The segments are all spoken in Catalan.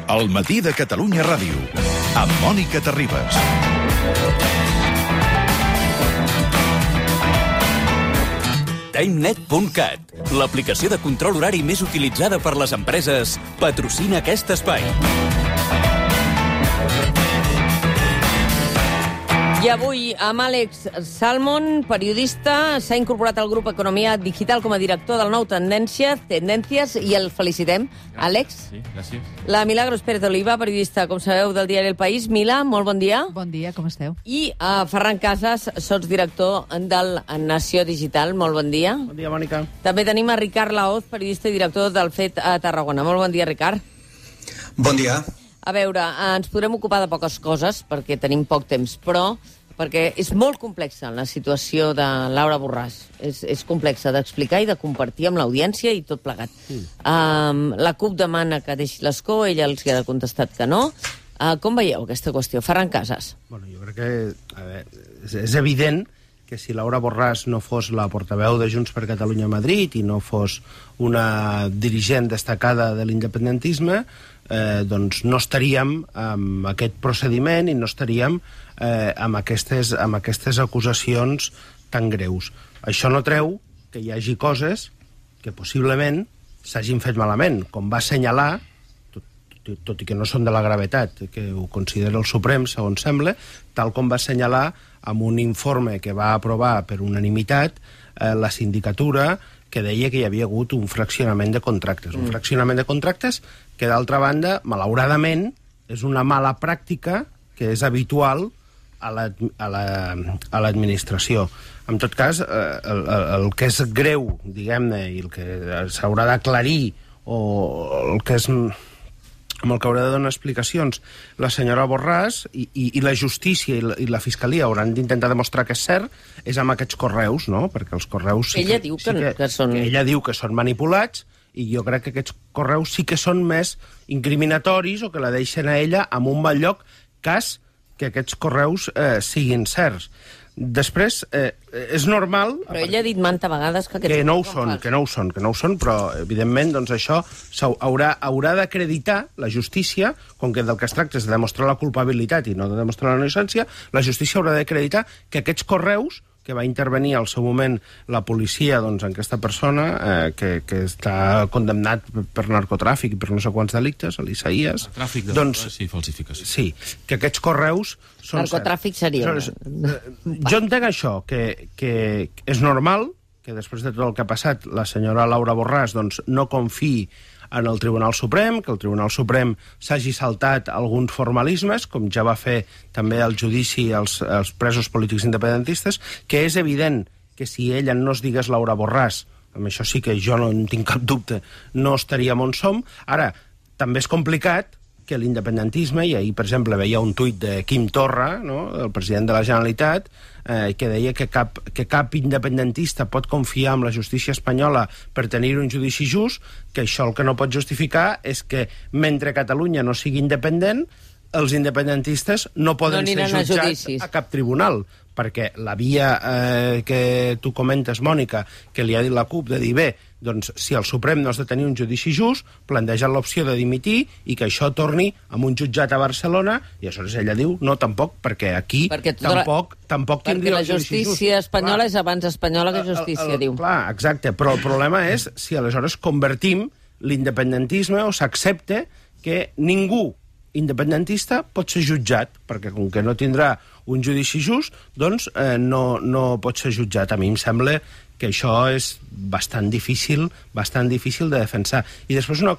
El matí de Catalunya Ràdio, amb Mònica Terribas. TimeNet.cat, l'aplicació de control horari més utilitzada per les empreses, patrocina aquest espai. I avui, amb Àlex Salmon, periodista, s'ha incorporat al grup Economia Digital com a director del nou Tendències, i el felicitem. Àlex? Sí, gràcies. La Milagros Pérez Oliva, periodista, com sabeu, del diari El País. Mila, molt bon dia. Bon dia, com esteu? I Ferran Casas, sotsdirector del Nació Digital. Molt bon dia. Bon dia, Mònica. També tenim a Ricard Laoz, periodista i director del FET a Tarragona. Molt bon dia, Ricard. Bon dia. A veure, ens podrem ocupar de poques coses, perquè tenim poc temps, però perquè és molt complexa la situació de Laura Borràs. És complexa d'explicar i de compartir amb l'audiència i tot plegat. La CUP demana que deixi l'escó, ella els ha contestat que no. Com veieu aquesta qüestió? Ferran Casas. Bueno, jo crec que és evident que si Laura Borràs no fos la portaveu de Junts per Catalunya a Madrid i no fos una dirigent destacada de l'independentisme, doncs no estaríem amb aquest procediment i no estaríem amb aquestes acusacions tan greus. Això no treu que hi hagi coses que possiblement s'hagin fet malament, com va assenyalar, tot i que no són de la gravetat que ho considera el Suprem, segons sembla, tal com va assenyalar amb un informe que va aprovar per unanimitat la sindicatura, que deia que hi havia hagut un fraccionament de contractes. Un fraccionament de contractes que, d'altra banda, malauradament, és una mala pràctica que és habitual a l'administració. En tot cas, el que és greu, diguem-ne, i el que s'haurà d'aclarir, o el que és amb el que haurà de donar explicacions la senyora Borràs i la justícia i la fiscalia hauran d'intentar demostrar que és cert, és amb aquests correus, no? Perquè els correus ella diu que són... Ella diu que són manipulats, i jo crec que aquests correus sí que són més incriminatoris o que la deixen a ella en un mal lloc, cas que aquests correus siguin certs. Després, és normal... Però ella ha dit manta vegades que no ho són, però, evidentment, doncs això haurà d'acreditar la justícia, com que del que es tracta és de demostrar la culpabilitat i no de demostrar la innocència, la justícia haurà d'acreditar que aquests correus que va intervenir al seu moment la policia en aquesta persona que està condemnat per narcotràfic i per no sé quants delictes, l'Isaías... Tràfic de drogues i falsificació. Sí, que aquests correus són... Narcotràfic seria... Jo entenc això, que és normal que després de tot el que ha passat la senyora Laura Borràs no confiï en el Tribunal Suprem, que el Tribunal Suprem s'hagi saltat alguns formalismes, com ja va fer també el judici als presos polítics independentistes, que és evident que si ella no es digués Laura Borràs, amb això sí que jo no en tinc cap dubte, no estaríem on som. Ara, també és complicat que l'independentisme, i ahir, per exemple, veia un tuit de Quim Torra, no?, el president de la Generalitat, que deia que cap independentista pot confiar en la justícia espanyola per tenir un judici just, que això el que no pot justificar és que mentre Catalunya no sigui independent, els independentistes no poden ser jutjats a cap tribunal, perquè la via que tu comentes, Mònica, que li ha dit la CUP de dir, bé, doncs si el Suprem no has de tenir un judici just, planteja l'opció de dimitir i que això torni amb un jutjat a Barcelona, i aleshores ella diu, no, tampoc, perquè aquí tampoc tindria el judici just. Perquè la justícia espanyola és abans espanyola que justícia, diu. Clar, exacte, però el problema és si aleshores convertim l'independentisme o s'accepta que ningú independentista pot ser jutjat, perquè com que no tindrà un judici just, doncs no pot ser jutjat. A mi em sembla que això és bastant difícil de defensar. I després no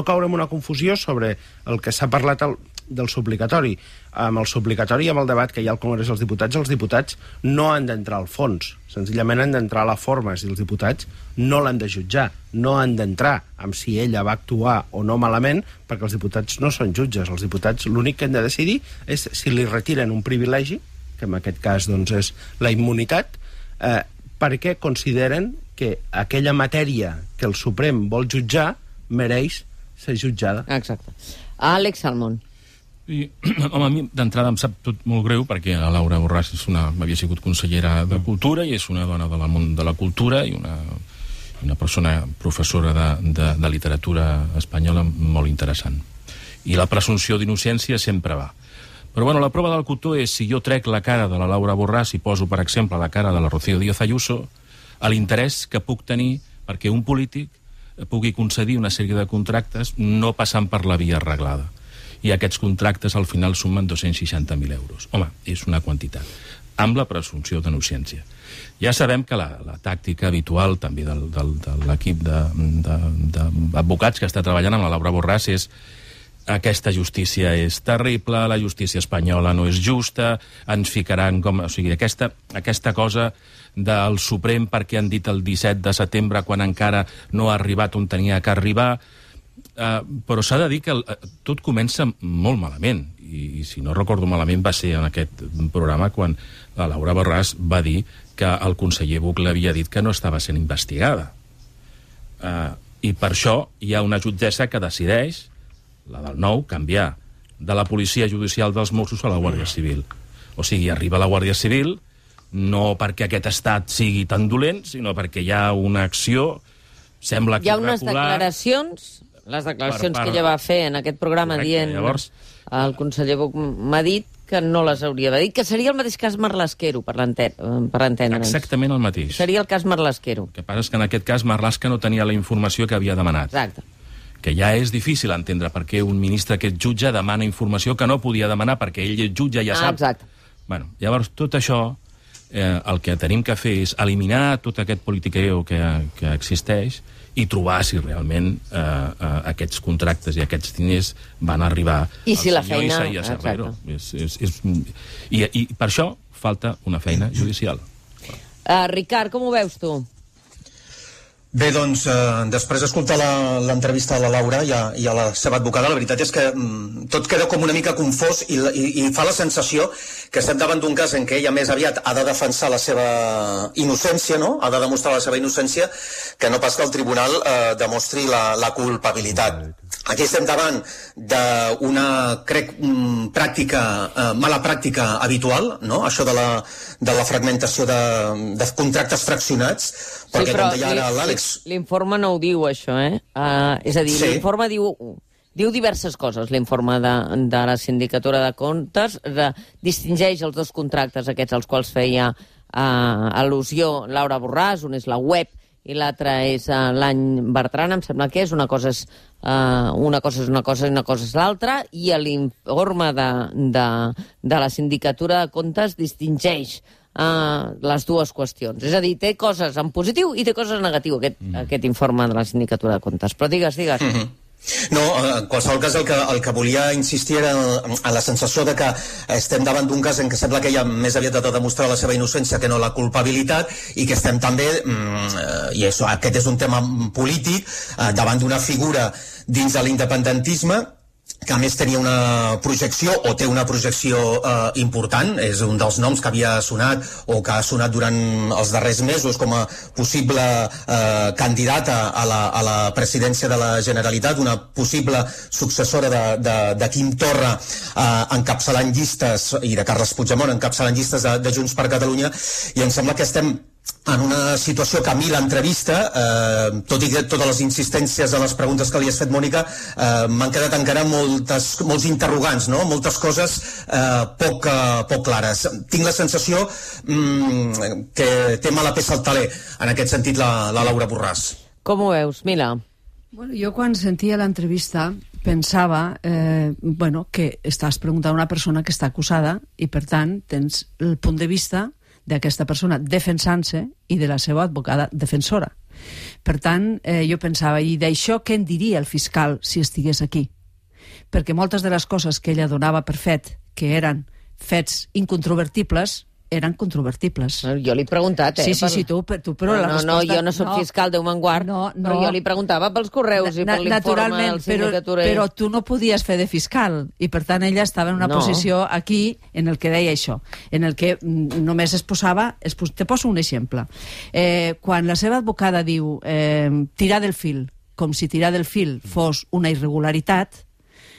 caure en una confusió sobre el que s'ha parlat del suplicatori. Amb el suplicatori i amb el debat que hi ha al Congrés dels Diputats, els diputats no han d'entrar al fons, senzillament han d'entrar a la forma, i els diputats no l'han de jutjar, no han d'entrar amb si ella va actuar o no malament, perquè els diputats no són jutges. Els diputats l'únic que han de decidir és si li retiren un privilegi, que en aquest cas doncs, és la immunitat, perquè consideren que aquella matèria que el Suprem vol jutjar mereix ser jutjada. Exacte. Àlex Salmon. Home, a mi d'entrada em sap tot molt greu perquè la Laura Borràs havia sigut consellera de Cultura i és una dona del món de la cultura i una persona professora de literatura espanyola molt interessant. I la presumpció d'innocència sempre va. Però bueno, la prova del cotó és si jo trec la cara de la Laura Borràs i poso, per exemple, la cara de la Rocío Díaz Ayuso, a l'interès que puc tenir perquè un polític pugui concedir una sèrie de contractes no passant per la via arreglada. I aquests contractes al final sumen 260.000 euros. Home, és una quantitat. Amb la presumpció d'innocència. Ja sabem que la tàctica habitual també de l'equip d'advocats que està treballant amb la Laura Borràs és aquesta justícia és terrible, la justícia espanyola no és justa, ens ficaran com... O sigui, aquesta cosa del Suprem perquè han dit el 17 de setembre quan encara no ha arribat on tenia que arribar, però s'ha de dir que tot comença molt malament, i si no recordo malament va ser en aquest programa quan la Laura Borràs va dir que el conseller Buch l'havia dit que no estava sent investigada. I per això hi ha una jutgessa que decideix, la del nou, canviar de la policia judicial dels Mossos a la Guàrdia Civil. O sigui, arriba la Guàrdia Civil no perquè aquest estat sigui tan dolent, sinó perquè hi ha una acció, sembla que hi ha unes declaracions, les declaracions que ella va fer en aquest programa. Correcte, dient, llavors, el conseller Buch m'ha dit que no les hauria de dir, que seria el mateix cas Marlaskero, per entendre'ns. Exactament el mateix. Seria el cas Marlaskero. El que passa és que en aquest cas Marlaska no tenia la informació que havia demanat. Exacte. Que ja és difícil entendre per què un ministre que és jutge demana informació que no podia demanar perquè ell és jutge, ja sap. Exacte. Bueno, llavors, tot això, el que tenim que fer és eliminar tot aquest politiqueo que existeix i trobar si realment aquests contractes i aquests diners van arribar al senyor feina... Isaías Herrero. I per això falta una feina judicial. Ricard, com ho veus tu? Bé, doncs, després d'escoltar l'entrevista a la Laura i a la seva advocada, la veritat és que tot queda com una mica confós i fa la sensació que estem davant d'un cas en què ella més aviat ha de defensar la seva innocència, no? Ha de demostrar la seva innocència, que no pas que el tribunal demostri la culpabilitat. Aquí estem davant d'una, crec, mala pràctica habitual, no? Això de la fragmentació de contractes fraccionats, perquè, com deia ara l'Àlex... L'informe no ho diu, això, és a dir, sí. L'informe diu diverses coses, l'informe de la Sindicatura de Comptes, distingeix els dos contractes aquests als quals feia al·lusió Laura Borràs, un és la web i l'altre és l'any Bertran, em sembla que és, una cosa és una cosa i una cosa és l'altra, i l'informe de la Sindicatura de Comptes distingeix les dues qüestions. És a dir, té coses en positiu i té coses en negatiu, aquest informe de la Sindicatura de Comptes. Però digues. No, en qualsevol cas el que volia insistir era en la sensació de que estem davant d'un cas en què sembla que ella més aviat ha de demostrar la seva innocència que no la culpabilitat, i que estem també, i aquest és un tema polític, davant d'una figura dins de l'independentisme que a més tenia una projecció, o té una projecció important, és un dels noms que havia sonat o que ha sonat durant els darrers mesos com a possible candidata a la presidència de la Generalitat, una possible successora de Quim Torra encapçalant llistes, i de Carles Puigdemont encapçalant llistes de Junts per Catalunya, i em sembla que estem en una situació que a mi l'entrevista, tot i que totes les insistències a les preguntes que li has fet, Mònica, m'han quedat encara molts interrogants, no? Moltes coses poc clares. Tinc la sensació que té mala peça al taler, en aquest sentit, la Laura Borràs. Com ho veus, Mila? Bueno, jo quan sentia l'entrevista pensava que estàs preguntant a una persona que està acusada i, per tant, tens el punt de vista d'aquesta persona defensant-se i de la seva advocada defensora. Per tant, jo pensava, i d'això què en diria el fiscal si estigués aquí? Perquè moltes de les coses que ella donava per fet, que eren fets incontrovertibles, eren controvertibles. Jo li he preguntat, Sí, tu, però la resposta... No, jo no soc fiscal, Déu me'n guard, però jo li preguntava pels correus i per l'informe de la Sindicatura. Però tu no podies fer de fiscal, i per tant ella estava en una posició aquí en el que deia això, en el que només es posava... Te poso un exemple. Quan la seva advocada diu tirar del fil, com si tirar del fil fos una irregularitat,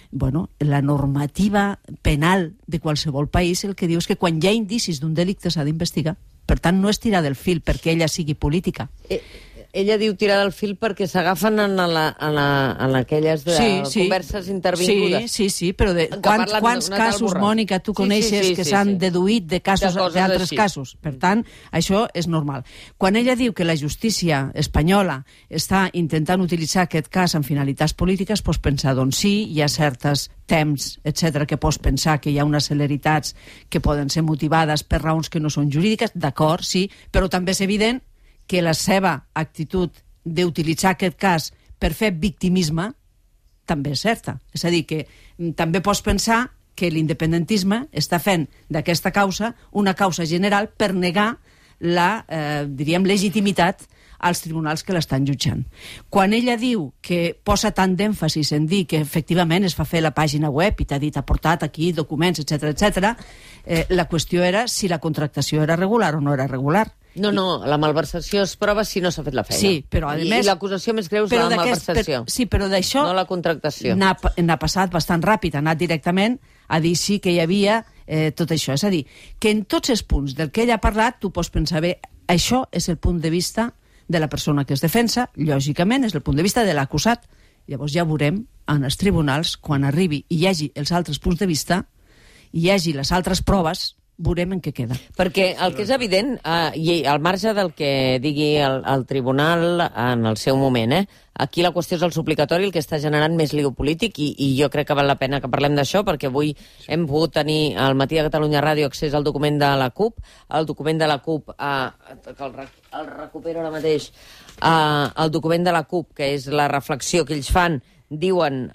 la normativa penal de qualsevol país el que diu és que quan hi ha indicis d'un delicte s'ha d'investigar. Per tant, no és tirar del fil perquè ella sigui política. ella diu tirar del fil perquè s'agafen en aquelles converses intervingudes. Sí, però quants casos, Mònica, tu coneixes que s'han deduït d'altres casos? Per tant, això és normal. Quan ella diu que la justícia espanyola està intentant utilitzar aquest cas amb finalitats polítiques, pots pensar, doncs sí, hi ha certes temps, etc., que pots pensar que hi ha unes celeritats que poden ser motivades per raons que no són jurídiques, d'acord, sí, però també és evident que la seva actitud d'utilitzar aquest cas per fer victimisme també és certa. És a dir, que també pots pensar que l'independentisme està fent d'aquesta causa una causa general per negar la, diríem, legitimitat als tribunals que l'estan jutjant. Quan ella diu que posa tant d'èmfasis en dir que efectivament es fa fer la pàgina web i t'ha dit ha portat aquí documents, etc., la qüestió era si la contractació era regular o no era regular. No, la malversació es prova si no s'ha fet la feina. Sí, però a més... I l'acusació més greu és la malversació. Sí, però d'això... No la contractació. N'ha passat bastant ràpid, ha anat directament a dir sí que hi havia tot això. És a dir, que en tots els punts del que ella ha parlat tu pots pensar, bé, això és el punt de vista de la persona que es defensa, lògicament, és el punt de vista de l'acusat. Llavors ja veurem en els tribunals, quan arribi i hi hagi els altres punts de vista, hi hagi les altres proves, veurem en què queda. Perquè el que és evident, i al marge del que digui el tribunal en el seu moment, aquí la qüestió és el suplicatori, el que està generant més lío polític, i jo crec que val la pena que parlem d'això, perquè avui hem pogut tenir al Matí de Catalunya Ràdio accés al document de la CUP. El document de la CUP, que el recupero ara mateix, el document de la CUP, que és la reflexió que ells fan, diuen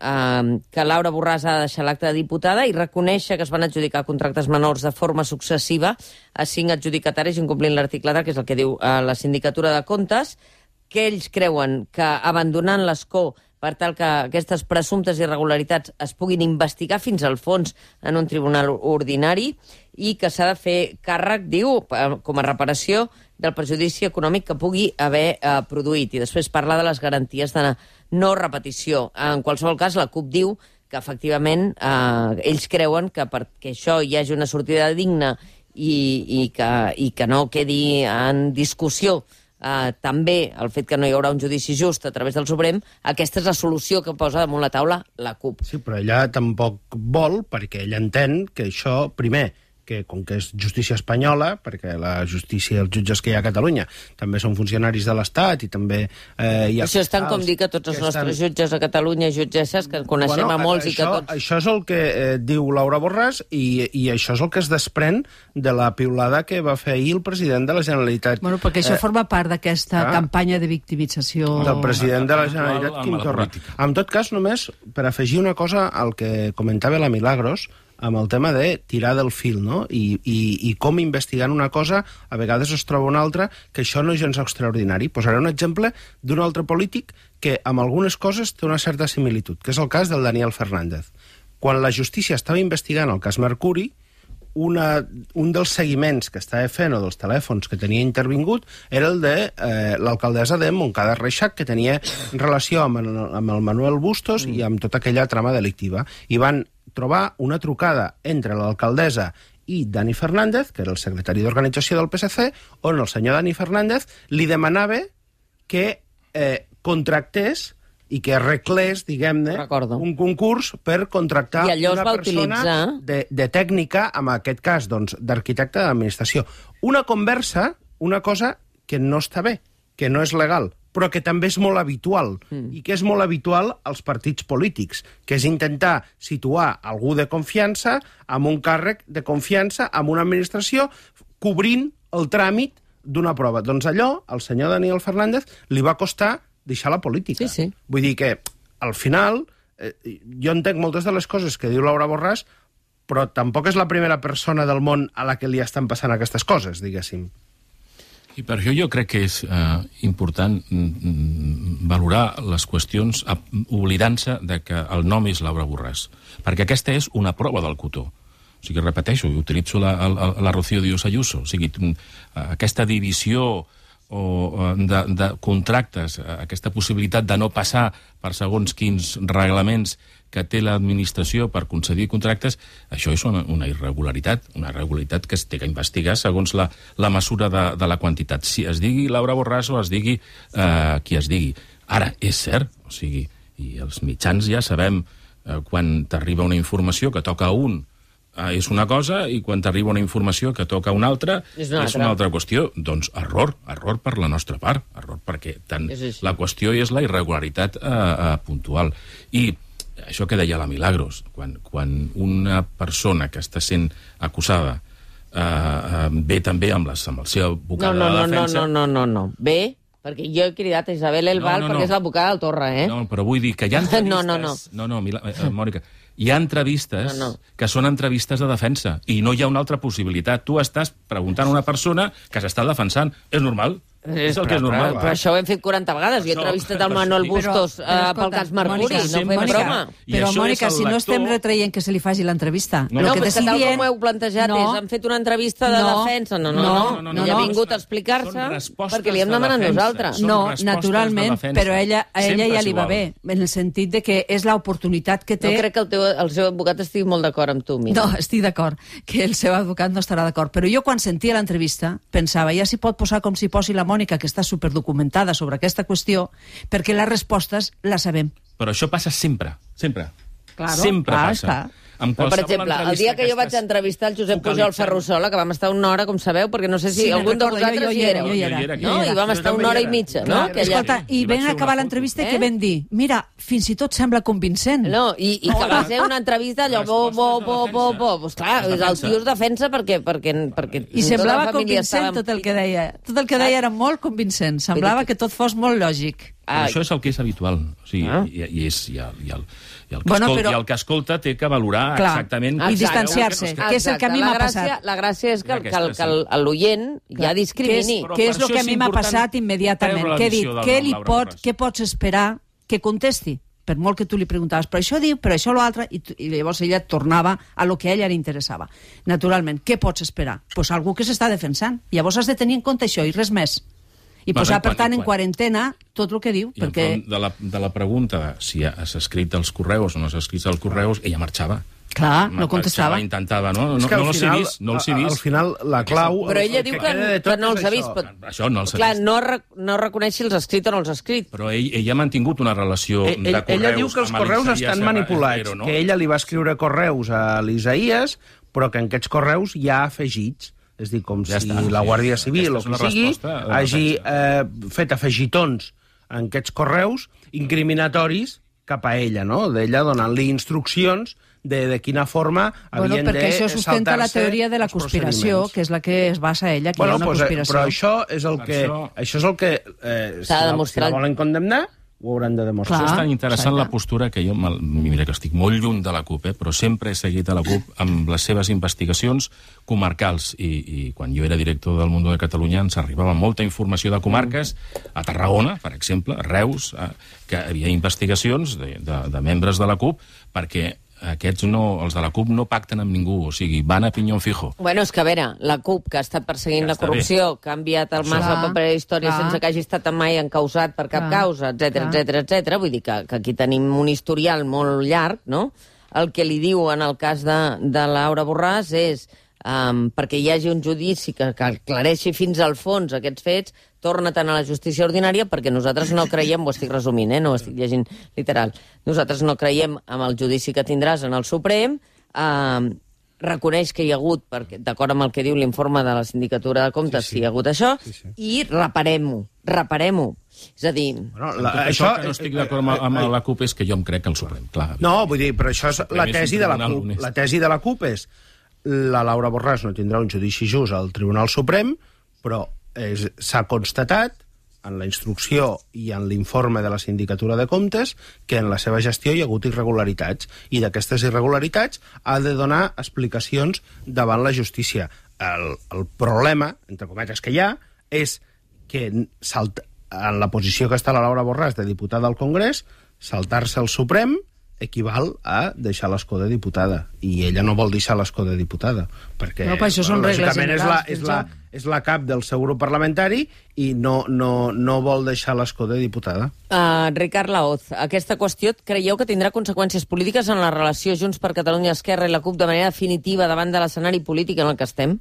que Laura Borràs ha de deixar l'acte de diputada i reconèixer que es van adjudicar contractes menors de forma successiva a 5 adjudicataris incomplint l'article 3, que és el que diu la Sindicatura de Comptes, que ells creuen que abandonant l'escó per tal que aquestes presumptes irregularitats es puguin investigar fins al fons en un tribunal ordinari i que s'ha de fer càrrec, diu, com a reparació del perjudici econòmic que pugui haver produït. I després parla de les garanties de no repetició. En qualsevol cas, la CUP diu que efectivament ells creuen que perquè això hi hagi una sortida digna i que no quedi en discussió també el fet que no hi haurà un judici just a través del Suprem, aquesta és la solució que posa damunt la taula la CUP. Sí, però ella tampoc vol, perquè ella entén que això, primer, que com que és justícia espanyola, perquè la justícia, els jutges que hi ha a Catalunya també són funcionaris de l'Estat i també hi ha... Això és tant com dir que tots els nostres jutges a Catalunya, jutgesses, que coneixem a molts i que tots... Això és el que diu Laura Borràs i això és el que es desprèn de la piulada que va fer ahir el president de la Generalitat. Bueno, perquè això forma part d'aquesta campanya de victimització... Del president de la Generalitat, Quim Torra. En tot cas, només per afegir una cosa al que comentava la Milagros, amb el tema de tirar del fil, no? I com investigant una cosa a vegades es troba una altra, que això no és gens extraordinari. Posaré un exemple d'un altre polític que amb algunes coses té una certa similitud, que és el cas del Daniel Fernández. Quan la justícia estava investigant el cas Mercuri, un dels seguiments que estava fent o dels telèfons que tenia intervingut era el de l'alcaldessa de Montcada Reixac, que tenia relació amb el Manuel Bustos i amb tota aquella trama delictiva. I van trobar una trucada entre l'alcaldessa i Dani Fernández, que era el secretari d'organització del PSC, on el senyor Dani Fernández li demanava que contractés i que arreglés, diguem-ne, un concurs per contractar una persona de tècnica, en aquest cas, doncs, d'arquitecte d'administració. Una conversa, una cosa que no està bé, que no és legal, però que també és molt habitual, i que és molt habitual als partits polítics, que és intentar situar algú de confiança amb un càrrec de confiança amb una administració cobrint el tràmit d'una prova. Doncs allò, al senyor Daniel Fernández, li va costar deixar la política. Sí. Vull dir que, al final, jo entenc moltes de les coses que diu Laura Borràs, però tampoc és la primera persona del món a la que li estan passant aquestes coses, diguéssim. I per això jo crec que és important valorar les qüestions oblidant-se de que el nom és Laura Borràs, perquè aquesta és una prova del cotó. O sigui, repeteixo, utilitzo la Rocío Díaz Ayuso. O sigui, aquesta divisió o de contractes, aquesta possibilitat de no passar per segons quins reglaments que té l'administració per concedir contractes, això és una irregularitat que es té que investigar segons la mesura de la quantitat. Si es digui Laura Borràs o es digui qui es digui. Ara, és cert, o sigui, i els mitjans ja sabem quan t'arriba una informació que toca a un és una cosa, i quan t'arriba una informació que toca a una altra és una altra qüestió. Doncs error per la nostra part, error perquè tant la qüestió és la irregularitat puntual. I això que deia la Milagros, quan una persona que està sent acusada ve també amb el seu advocat de defensa... No. Ve, perquè jo he cridat a Isabel Elbal perquè és l'advocada del Torra, eh? No, però vull dir que hi ha entrevistes... No, Mònica, hi ha entrevistes que són entrevistes de defensa i no hi ha una altra possibilitat. Tu estàs preguntant a una persona que s'està defensant. És normal. És el que és normal. Però això ho hem fet 40 vegades. Jo he entrevistat el Manuel Bustos pel cas Mercuri, no fem broma. Però, Mònica, si no estem retreient que se li faci l'entrevista... No, però és que tal com ho heu plantejat és han fet una entrevista de defensa. No. Ell ha vingut a explicar-se perquè li hem demanat nosaltres. No, naturalment, però a ella ja li va bé, en el sentit de que és l'oportunitat que té... No crec que el seu advocat estigui molt d'acord amb tu, Mira. No, estic d'acord, que el seu advocat no estarà d'acord. Però jo, quan sentia l'entrevista, pensava, ja s'hi pot posar com s'hi posi la Mònica, que està superdocumentada sobre aquesta qüestió, perquè les respostes les sabem. Però això passa sempre. Claro, sempre passa. Per exemple, el dia que jo vaig entrevistar el Josep Pujol Ferrusola, que vam estar una hora, com sabeu, perquè no sé si algun de vosaltres hi éreu. Jo hi era. No? I vam estar una hora i mitja, no? Escolta, i vam acabar l'entrevista i què vam dir? Mira, fins i tot sembla convincent. No, i que va ser una entrevista allò, Pues clar, el tio es defensa perquè i semblava convincent tot el que deia. Tot el que deia era molt convincent. Semblava que tot fos molt lògic. Això és el que és habitual. O sigui, el que escolta té que valorar exactament... I distanciar-se, que és el que a mi m'ha passat. La gràcia és que l'oient ja discrimini. Què és el que a mi m'ha passat immediatament? Què he dit? Què pots esperar que contesti? Per molt que tu li preguntaves, però això diu, però això l'altre, i llavors ella tornava a lo que a ella li interessava. Naturalment, què pots esperar? Doncs algú que s'està defensant. Llavors has de tenir en compte això i res més. I posar, per tant, en quarantena tot el que diu. I de la pregunta de si has escrit els correus o no has escrit els correus, ella marxava. Clar, no contestava. Intentava, no els he vist. Al final, la clau... Però ella diu que no els ha vist. Això no els ha vist. Clar, no reconeix si els ha escrit o no els ha escrit. Però ella ha mantingut una relació de correus... Ella diu que els correus estan manipulats, que ella li va escriure correus a l'Isaías, però que en aquests correus hi ha afegits. És dir, com si la Guàrdia Civil o qui sigui hagi fet afegitons en aquests correus incriminatoris cap a ella, no? D'ella donant-li instruccions de quina forma havien de saltar-se... Perquè això sustenta la teoria de la conspiració, que és la que es basa ella, que hi ha una conspiració. Però això és el que si la volen condemnar, ho hauran de demostrar. Això és tan interessant la postura que jo, mira que estic molt lluny de la CUP, però sempre he seguit a la CUP amb les seves investigacions comarcals, i quan jo era director del Mundo de Catalunya ens arribava molta informació de comarques, a Tarragona, per exemple, a Reus, que hi havia investigacions de membres de la CUP, perquè aquests els de la CUP no pacten amb ningú, o sigui, van a pinyón fijo. Bueno, és que a veure, la CUP, que ha estat perseguint la corrupció, que ha enviat el Mas al paper d'història sense que hagi estat mai encausat per cap causa, etc. Vull dir que aquí tenim un historial molt llarg, no? El que li diu en el cas de Laura Borràs és perquè hi hagi un judici que aclareixi fins al fons aquests fets, torna-te'n a la justícia ordinària, perquè nosaltres no creiem, ho estic resumint, no ho estic llegint literal, nosaltres no creiem en el judici que tindràs en el Suprem, reconeix que hi ha hagut, d'acord amb el que diu l'informe de la Sindicatura de Comptes, si hi ha hagut això, i reparem-ho. És a dir... Això que no estic d'acord amb la CUP és que jo em crec el Suprem, clar. No, vull dir, però això és la tesi de la CUP. La tesi de la CUP és la Laura Borràs no tindrà un judici just al Tribunal Suprem, però s'ha constatat en la instrucció i en l'informe de la Sindicatura de Comptes que en la seva gestió hi ha hagut irregularitats, i d'aquestes irregularitats ha de donar explicacions davant la justícia. El problema, entre cometes, que hi ha és que en la posició que està la Laura Borràs de diputada al Congrés, saltar-se el Suprem equival a deixar l'escó de diputada. I ella no vol deixar l'escó de diputada, perquè No, però això són regles generals del és la cap del seu grup parlamentari i no vol deixar l'escó de diputada. Ricard Laoz, aquesta qüestió creieu que tindrà conseqüències polítiques en la relació Junts per Catalunya, Esquerra i la CUP de manera definitiva davant de l'escenari polític en el que estem?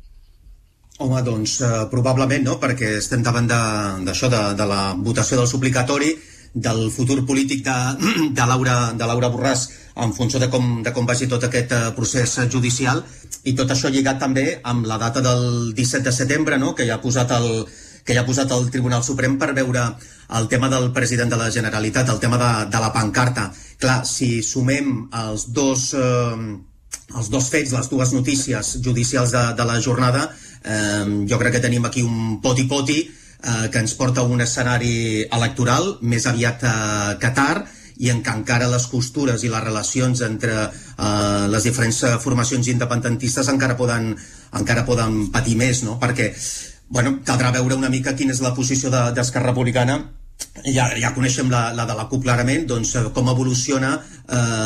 Home, doncs probablement no, perquè estem davant d'això, de la votació del suplicatori, del futur polític de Laura Borràs en funció de com vagi tot aquest procés judicial, i tot això lligat també amb la data del 17 de setembre, no?, que ja ha posat el Tribunal Suprem per veure el tema del president de la Generalitat, el tema de la pancarta. Clar, si sumem els dos fets, les dues notícies judicials de la jornada, jo crec que tenim aquí un poti-poti que ens porta a un escenari electoral més aviat que tard, i en què encara les costures i les relacions entre les diferents formacions independentistes encara poden patir més, no? Perquè caldrà veure una mica quina és la posició d'Esquerra Republicana. Ja coneixem la de la CUP clarament, doncs com evoluciona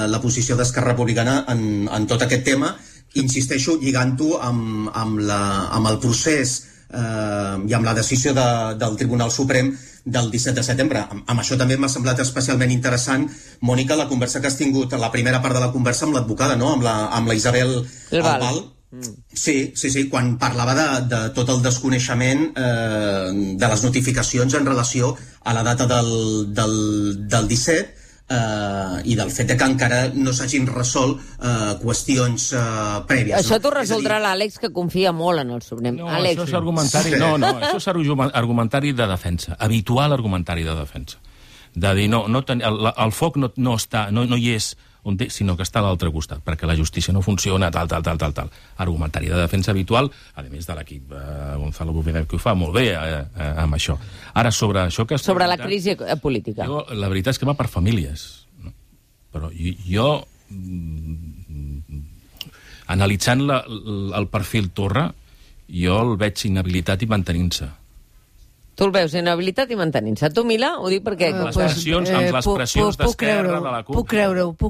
la posició d'Esquerra Republicana en tot aquest tema. Insisteixo, lligant-ho amb el procés i amb la decisió del Tribunal Suprem del 17 de setembre. Amb això també m'ha semblat especialment interessant, Mònica, la conversa que has tingut, la primera part de la conversa amb l'advocada, no?, amb la Isabel Albal. Sí, quan parlava de tot el desconeixement de les notificacions en relació a la data del 17 i del fet que encara no s'hagin resolt qüestions prèvies. Això t'ho resoldrà l'Àlex, que confia molt en el Suprem. No, Àlex. això és argumentari, això és argumentari de defensa, habitual argumentari de defensa. De dir, el foc no hi és sinó que està a l'altre costat, perquè la justícia no funciona, tal. Argumentari de defensa habitual, a més de l'equip Gonzalo Bufener, que ho fa molt bé amb això. Ara, sobre això que... Sobre la crisi política. Jo, la veritat és que va per famílies. No? Però jo analitzant el perfil Torra, jo el veig inhabilitat i mantenint-se. Tu el veus inhabilitat i mantenint-se. Tu, Mila, ho dic perquè... Amb les pressions d'Esquerra, de la CUP... Puc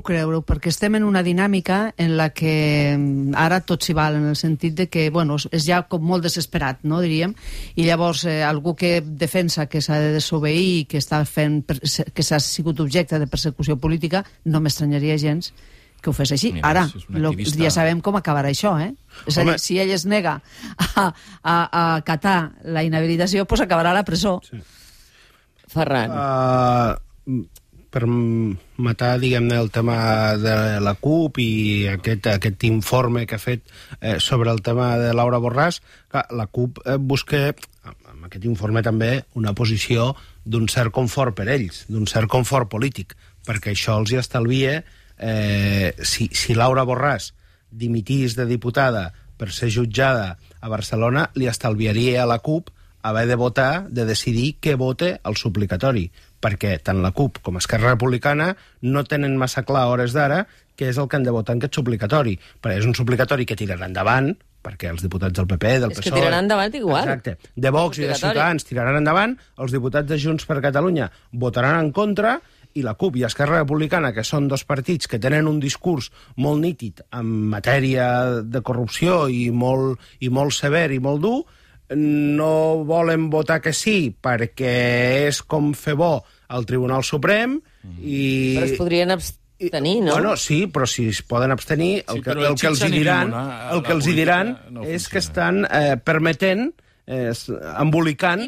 creure-ho, perquè estem en una dinàmica en la que ara tot s'hi val, en el sentit de que, és ja com molt desesperat, no, diríem, i llavors algú que defensa que s'ha de desobeir, que s'ha sigut objecte de persecució política, no m'estranyaria gens que ho fes així. Mira, Ara, ja sabem com acabarà això, És a dir, si ell es nega a acatar la inhabilitació, doncs acabarà a la presó. Sí. Ferran. Per matar, diguem-ne, el tema de la CUP i aquest informe que ha fet sobre el tema de Laura Borràs, la CUP busca, amb aquest informe també, una posició d'un cert confort per ells, d'un cert confort polític, perquè això els hi estalvia. Si Laura Borràs dimitís de diputada per ser jutjada a Barcelona, li estalviaria a la CUP haver de votar, de decidir què vote al suplicatori, perquè tant la CUP com Esquerra Republicana no tenen massa clar a hores d'ara què és el que han de votar en aquest suplicatori, perquè és un suplicatori que tirarà endavant, perquè els diputats del PP, del PSOE... És que tiraran endavant igual. Exacte. De Vox i de Ciutadans tiraran endavant, els diputats de Junts per Catalunya votaran en contra, i la CUP i Esquerra Republicana, que són dos partits que tenen un discurs molt nítid en matèria de corrupció i molt sever i molt dur, no volen votar que sí perquè és com fer bo al Tribunal Suprem i... Però es podrien abstenir, no? Sí, però si es poden abstenir, el que els hi diran és que estan permetent embolicant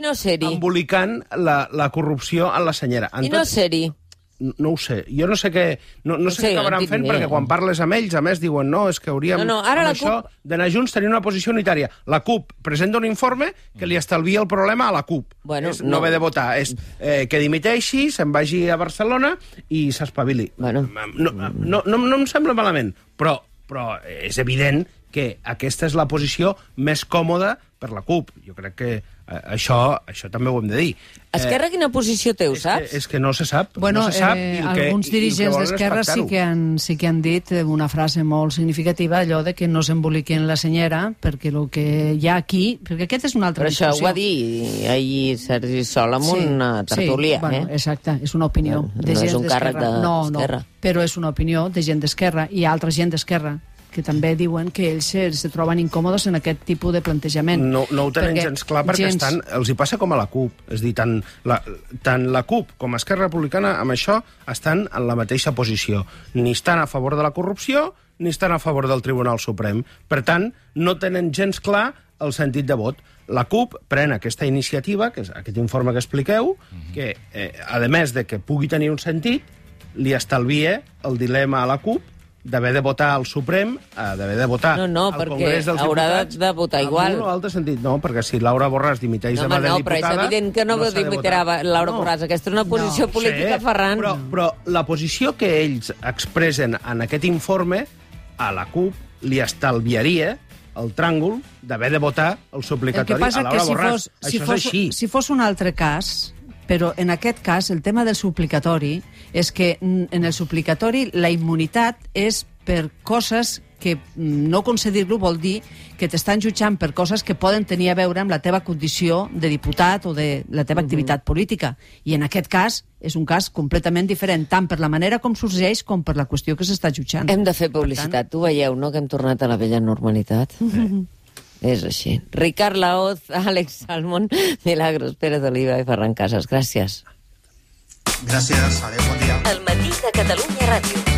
la corrupció en la senyera. I no ser-hi. No ho sé. Jo no sé què acabaran fent, perquè quan parles amb ells, a més, diuen no, és que hauríem ara això d'anar junts tenir una posició unitària. La CUP presenta un informe que li estalvia el problema a la CUP. No haver de votar. És que dimiteixi, se'n vagi a Barcelona i s'espavili. No em sembla malament, però és evident que aquesta és la posició més còmoda per la CUP. Jo crec que això també ho hem de dir. Esquerra quina posició té, ho saps? És que no se sap. Bueno, no se sap alguns dirigents d'Esquerra sí que han dit una frase molt significativa, allò de que no s'emboliquen la senyera, perquè el que hi ha aquí... Perquè aquest és una altra discussió. Però això ho va dir ahir Sergi Sol amb una tertúlia. Bueno, exacte, és una opinió de gent d'Esquerra. No és un càrrec d'Esquerra. No, però és una opinió de gent d'Esquerra i altra gent d'Esquerra que també diuen que ells se troben incòmodes en aquest tipus de plantejament. No ho tenen gens clar perquè els hi passa com a la CUP. És a dir, tant la CUP com Esquerra Republicana amb això estan en la mateixa posició. Ni estan a favor de la corrupció ni estan a favor del Tribunal Suprem. Per tant, no tenen gens clar el sentit de vot. La CUP pren aquesta iniciativa, que és aquest informe que expliqueu, que, a més de que pugui tenir un sentit, li estalvia el dilema a la CUP d'haver de votar al Suprem, d'haver de votar al Congrés dels Diputats... No, perquè haurà de votar igual. En un o altre sentit, no, perquè si Laura Borràs dimiteix demà de diputada... No, però és evident que no dimitirà Laura Borràs. Aquesta és una posició política, Ferran. Però la posició que ells expressen en aquest informe, a la CUP li estalviaria el tràngol d'haver de votar el suplicatori a Laura Borràs. Això és així. Si fos un altre cas... Però en aquest cas, el tema del suplicatori és que en el suplicatori la immunitat és per coses que no concedir-lo vol dir que t'estan jutjant per coses que poden tenir a veure amb la teva condició de diputat o de la teva activitat política. I en aquest cas és un cas completament diferent, tant per la manera com sorgeix com per la qüestió que s'està jutjant. Hem de fer publicitat. Tu veieu, no?, que hem tornat a la vella normalitat. És així. Ricard Laoz, Àlex Salmon, Milagros Pérez Oliva i Ferran Casas. Gràcies. Gràcies. Adéu, bon dia. El matí de Catalunya Ràdio.